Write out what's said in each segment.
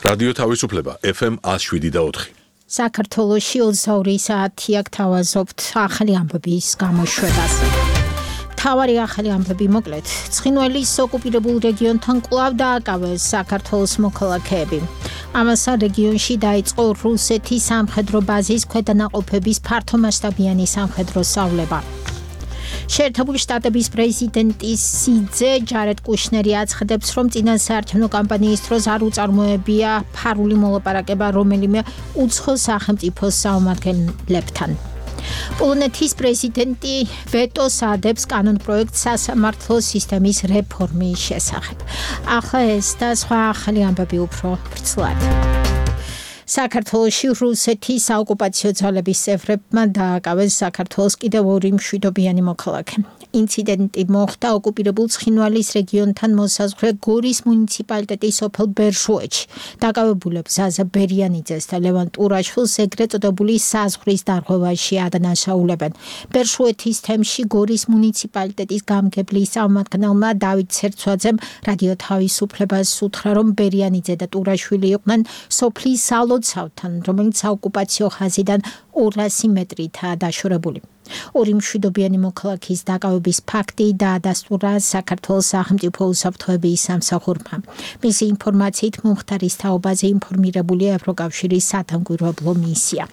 რადიო თავისუფლება FM 107.4. საქართველოში 22 საათი აქ თავაზობთ ახალი ამბების გამოშვებას. თავარი ახალი ამბები მოკლედ. ცხინვალის ოკუპირებულ რეგიონთან კვლავ დააკავეს საქართველოს მოქალაქეები. ამასთან რეგიონში დაიწყო რუსეთის სამხედრო ბაზის ქვედანაყოფების ფართომასშტაბიანი სამხედრო სწავლება. შეერთებული შტატების პრეზიდენტი სიძე ჯარედ კუშნერი აცხადებს, რომ წინასაარჩევნო კამპანიის დროს არ უწარმოებია ფარული მოლაპარაკება რომელიმე უცხო სახელმწიფოს წარმომადგენლებთან. პოლონეთის პრეზიდენტი ვეტოს ადებს კანონპროექტს სასამართლო სისტემის რეფორმის შესახებ. ახლა ეს და სხვა ახალი ამბები უფრო ვრცლად. საქართველოში რუსეთის საოკუპაციო ძალების წევრებმა დააკავეს საქართველოს კიდევ ორი მშვიდობიანი მოქალაქე. ინციდენტი მოხდა ოკუპირებულ ცხინვალის რეგიონთან მოსაზღვრე გორის მუნიციპალიტეტის სოფელ ბერშუეთში. დაკავებულებს ზაზა ბერიანიძეს და ლევან ტურაშვილს ეგრეთ წოდებული საზღვრის დარღვევაში ადანაშაულებენ. ბერშუეთის თემში გორის მუნიციპალიტეტის გამგებლის წარმომადგენელმა დავით ცერცვაძემ რადიო თავისუფლებას უთხრა, რომ ბერიანიძე და ტურაშვილი იყვნენ სოფლის სალოცავთან, რომელიც საოკუპაციო ხაზიდან 200 მეტრითაა დაშორებული. ორი მშვიდობიანი მოქალაქის დაკავების ფაქტი დაადასტურა საქართველოს სახელმწიფო უსაფრთხოების სამსახურმა. მისი ინფორმაციით მომხდარის თაობაზე ინფორმირებულია ევროკავშირის სადამკვირვებლო მისია.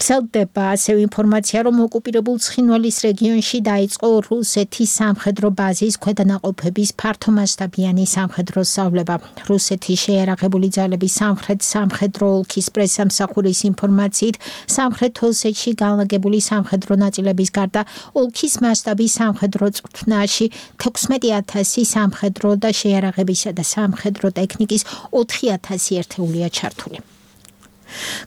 ვრცელდება ასევე ინფორმაცია, რომ ოკუპირებულ ცხინვალის რეგიონში დაიწყო რუსეთის სამხედრო ბაზის ქვედანაყოფების ფართომასშტაბიანი სამხედრო სწავლება. რუსეთის შეიარაღებული ძალების სამხრეთ სამხედრო ოლქის პრესსამსახურის ინფორმაციით, სამხრეთ ოსეთში განლაგებული სამხედრო ნაწილების გარდა ოლქის მასშტაბის სამხედრო წვრთნაში 16,000 სამხედრო და შეიარაღებისა და სამხედრო ტექნიკის 4,000 ერთეულია ჩართული.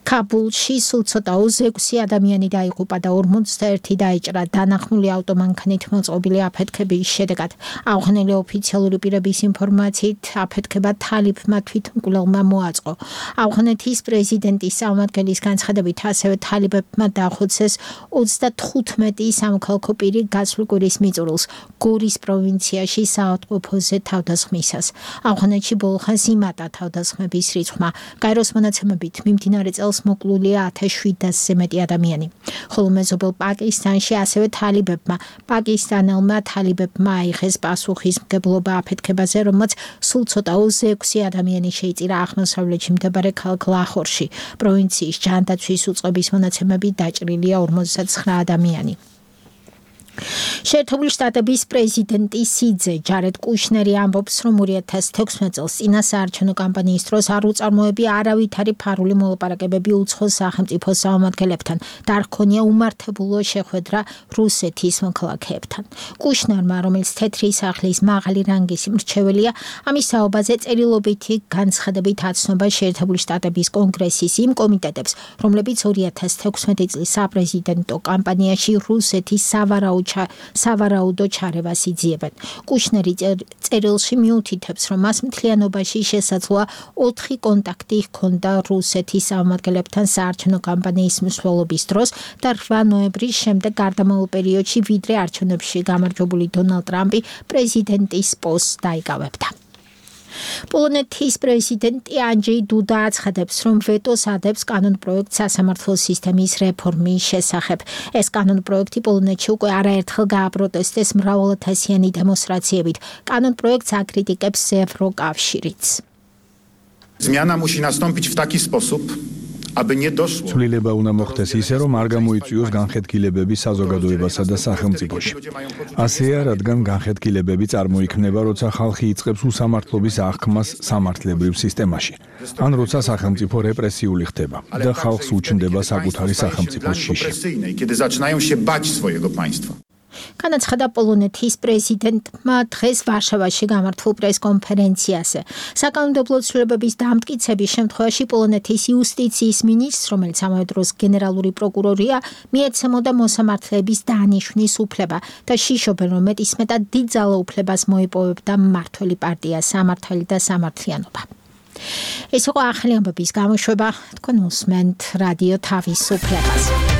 ქაბულში სულ ცოტა 26 ადამიანი დაიღუპა და 41 დაიჭრა დანახმული ავტომანქანით მოწყობილი აფეთქების შედეგად. აღნიშნული ოფიციალური პირების ინფორმაციით, აფეთქება თალიფმა თვითმკვლელმა მოაწყო. ავღანეთის პრეზიდენტის წარმომადგენლის განცხადებით, ასევე თალიბებმა დაახოცეს 35 სამოქალაქო პირი გასული კვირის მიწურულს გორის პროვინციაში საავადმყოფოზე თავდასხმისას. ავღანეთში ბოლო ხანს იმატა თავდასხმების რიცხვმა. გაეროს მონაცემებით მიმდინარე წელს მოკლულია 1700-ზე მეტი ადამიანი. ხოლო მეზობელ პაკისტანში ასევე პაკისტანელმა თალიბებმა აიღეს პასუხისმგებლობა აფეთქებაზე, რომელმაც სულ ცოტა 26 ადამიანი შეიწირა აღმოსავლეთში მდებარე ქალაქ ლაჰორში. პროვინციის ჯანდაცვის უწყების მონაცემებით დაჭრილია 59 ადამიანი. შეერთებული შტატების პრეზიდენტი სიძე ჯარედ კუშნერი ამბობს, რომ 2016 წელს წინასაარჩევნო კამპანიის დროს არ უწარმოებია არავითარი ფარული მოლაპარაკებები უცხო სახელმწიფოს წარმომადგენლებთან და არ ჰქონია უმართებულო შეხვედრა რუსეთის მოქალაქეებთან. კუშნერმა, რომელიც თეთრი სახლის მაღალი რანგის მრჩეველია, ამის თაობაზე წერილობითი განცხადებით აცნობა შეერთებული შტატების კონგრესის იმ კომიტეტებს, რომლებიც 2016 წლის საპრეზიდენტო კამპანიაში რუსეთის სავარაუდო ჩარევას იძიებენ. კუშნერი წერილში მიუთითებს, რომ მას მთლიანობაში შესაძლოა 4 კონტაქტი ჰქონდა რუსეთის წარმომადგენლებთან საარჩევნო კამპანიის მსვლელობის დროს და 8 ნოემბრის შემდეგ გარდამავალ პერიოდში, ვიდრე არჩევნებში გამარჯვებული დონალდ ტრამპი პრეზიდენტის პოსტს დაიკავებდა. პოლონეთის პრეზიდენტი ანჯეი დუდა აცხადებს, რომ ვეტოს ადებს კანონპროექტს სასამართლო სისტემის რეფორმის შესახებ. ეს კანონპროექტი პოლონეთში უკვე არაერთხელ გააპროტესტეს მრავალათასიანი დემონსტრაციებით. კანონპროექტს აკრიტიკებს ევროკავშირიც. Zmiana musi nastąpić w taki sposób, aby nie doszło. ცვლილება უნდა მოხდეს ისე, რომ არ გამოიწვიოს განხეთქილებები საზოგადოებასა და სახელმწიფოში. ასეა, რადგან განხეთქილებები წარმოიქმნება, როცა ხალხი იწყებს უსამართლობის აღქმას სამართლებრივ სისტემაში, ან როცა სახელმწიფო რეპრესიული ხდება და ხალხს უჩნდება საკუთარი სახელმწიფოს შიში. Kiedy zaczynają się bać swojego państwa. განაცხადა პოლონეთის პრეზიდენტმა დღეს ვარშავაში გამართულ პრესკონფერენციაზე. საკანონმდებლო ცვლილებების დამტკიცების შემთხვევაში პოლონეთის იუსტიციის მინისტრს, რომელიც ამავე დროს გენერალური პროკურორია, მიეცემოდა მოსამართლეების დანიშვნის უფლება და შიშობენ, რომ მეტისმეტად დიდ ძალაუფლებას მოიპოვებდა მმართველი პარტია სამართალი და სამართლიანობა. ეს იყო ახალი ამბების გამოშვება, თქვენ უსმენთ რადიო თავისუფლებას.